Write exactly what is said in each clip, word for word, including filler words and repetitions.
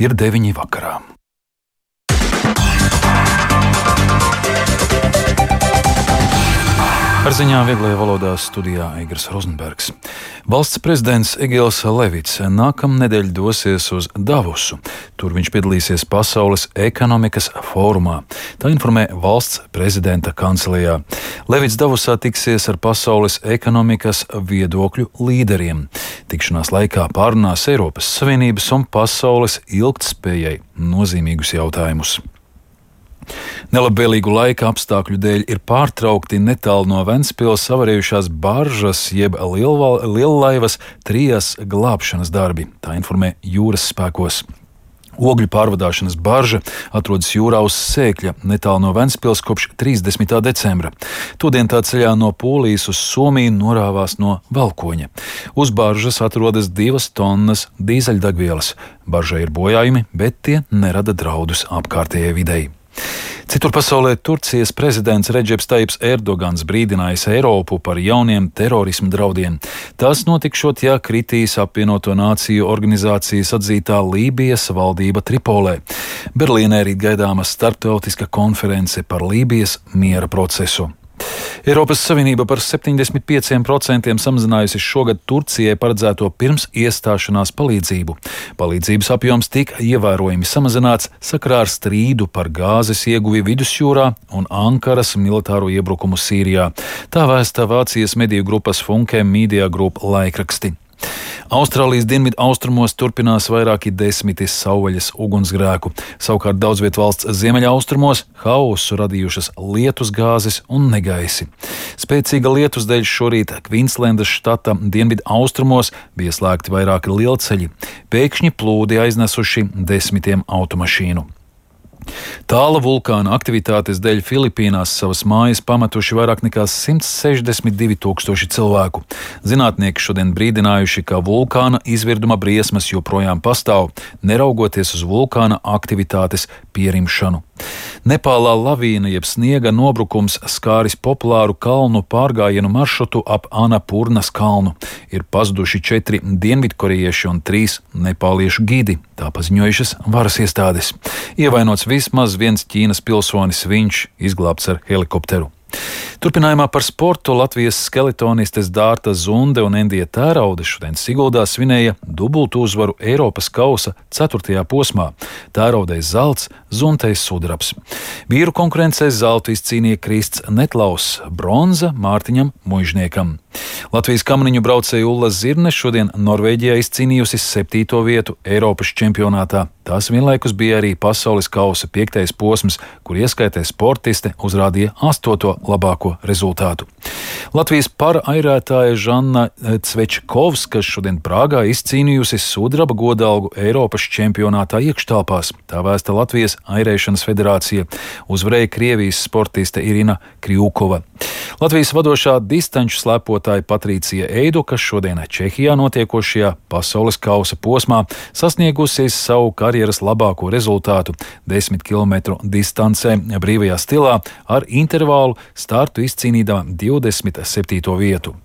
Ir deviņi vakarā. Ar ziņām vieglajā valodā studijā Eigars Rozenbergs. Valsts prezidents Egils Levits nākamnedēļ dosies uz Davosu. Tur viņš piedalīsies Pasaules ekonomikas fórumā. Tā informē valsts prezidenta kancelijā. Levits Davosā tiksies ar pasaules ekonomikas viedokļu līderiem. Tikšanās laikā pārunās Eiropas Savienības un pasaules ilgtspējai nozīmīgus jautājumus. Nelabvēlīgu laika apstākļu dēļ ir pārtraukti netālu no Ventspils avarējušās baržas jeb liellaivas trijas glābšanas darbi, tā informē jūras spēkos. Ogļu pārvadāšanas barža atrodas jūrā uz Sēkļa, netālu no Ventspils kopš trīsdesmitā decembra. Todien tā ceļā no Polijas uz Somiju norāvās no Valkoņa. Uz baržas atrodas divas tonnas dīzeļdegvielas. Baržai ir bojājumi, bet tie nerada draudus apkārtējai videi. Citur pasaulē Turcijas prezidents Redžeps Tajips Erdogans brīdinājis Eiropu par jauniem terorisma draudiem. Tas notikšot, ja kritīs apvienoto nāciju organizācijas atzītā Lībijas valdība Tripolē. Berlīnē rīt gaidāma starptautiska konference par Lībijas miera procesu. Eiropas Savienība par septiņdesmit pieciem procentiem samazinājusi šogad Turcijai paredzēto pirms iestāšanās palīdzību. Palīdzības apjoms tika ievērojami samazināts sakarā ar strīdu par gāzes ieguvi Vidusjūrā un Ankaras militāro iebrukumu Sīrijā. Tā vēsta Vācijas mediju grupas Funke Media Group laikraksti. Austrālijas dienvidu austrumos turpinās vairāki desmiti savvaļas ugunsgrēku. Savukārt daudzviet valsts ziemeļaustrumos haosu radījušas lietusgāzes un negaisi. Spēcīga lietus dēļ šorīt Kvīnslendas štata dienvidu austrumos bija slēgti vairāki lielceļi. Pēkšņi plūdi aiznesuši desmitiem automašīnu. Tāla vulkāna aktivitātes dēļ Filipīnās savas mājas pametuši vairāk nekā simt sešdesmit divi tūkstoši cilvēku. Zinātnieki šodien brīdinājuši, ka vulkāna izvirduma briesmas joprojām pastāv, neraugoties uz vulkāna aktivitātes pierimšanu. Nepālā lavīna jeb sniega nobrukums skāris populāru kalnu pārgājienu maršrutu ap Anapurnas kalnu. Ir pazuduši četri dienvidkorejieši un trīs nepāliešu gidi, tā paziņojušas varas iestādes. Ievainots vismaz viens Ķīnas pilsonis, viņš izglābts ar helikopteru. Turpinājumā par sportu Latvijas skeletonistes Dārta Zunde un Endija Tēraude šodien Siguldā svinēja dubultu uzvaru Eiropas kausa ceturtajā posmā. Tēraudei zelts, Zuntei sudrabs. Vīru konkurencē zeltu izcīnīja Krists Netlaus, bronza Mārtiņam Muižniekam. Latvijas kamaniņu braucēja Ulla Zirne šodien Norvēģijā izcīnījusi septīto vietu Eiropas čempionātā. Tās vienlaikus bija arī pasaules kausa piektais posms, kur ieskaitē sportiste uzrādīja astoto labāko rezultātu. Latvijas parairētāja Žanna Cvečkovska šodien Prāgā izcīnījusi sudraba godalgu Eiropas čempionātā iekštelpās. Tā vēsta Latvijas airēšanas federācija. Uzvarēja Krievijas sportiste Irina Kriukova. Latvijas vadošā distanču slēpotāja Patricija Eiduka šodien Čehijā notiekošajā pasaules kausa posmā sasniegusies savu karjeras labāko rezultātu desmit kilometru distancē brīvajā stilā ar intervālu startu izcīnīdama divdesmit septīto vietu.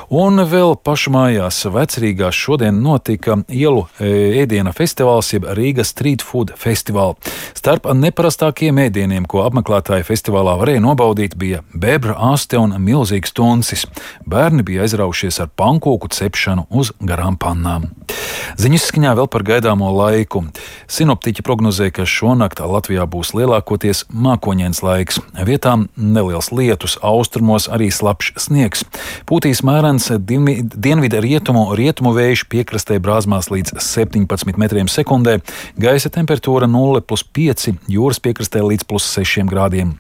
Un vēl pašmājās Vecrīgā šodien notika ielu ēdiena festivāls jeb Rīga Street Food Festival. Starp neparastākiem ēdieniem, ko apmeklētāji festivālā varēja nobaudīt, bija bebra aste un milzīgs tuncis. Bērni bija aizraušies ar pankūku cepšanu uz garām pannām. Ziņas skaņā vēl par gaidāmo laiku. Sinoptiķi prognozē, ka šonakt Latvijā būs lielākoties mākoņains laiks. Vietām neliels lietus, austrumos arī slapjš sniegs. Pūtīs mērens dienvidu rietumu, rietumu vējš piekrastē brāzmās līdz septiņpadsmit metriem sekundē, gaisa temperatūra nulle plus pieci, jūras piekrastē līdz plus sešiem grādiem.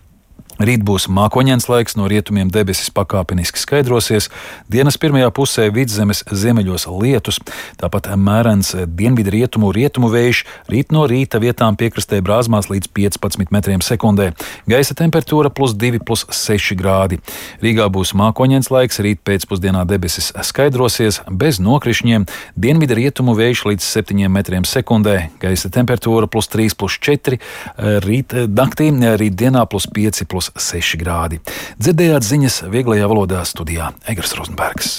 Rīt būs mākoņains laiks, no rietumiem debesis pakāpeniski skaidrosies, dienas pirmajā pusē vidzemes ziemeļos lietus, tāpat mērens dienvidu rietumu rietumu vējš, rīt no rīta vietām piekrastē brāzmās līdz piecpadsmit metriem sekundē, gaisa temperatūra plus divi plus seši grādi. Rīgā būs mākoņains laiks, rīt pēcpusdienā debesis skaidrosies, bez nokrišņiem, dienvidu rietumu vējš līdz septiņiem metriem sekundē, gaisa temperatūra plus trīs plus četri, rīt naktī, rīt dienā plus pieci plus seši grādi. Dzirdējāt ziņas vieglajā valodā studijā Eigars Rozenbergs.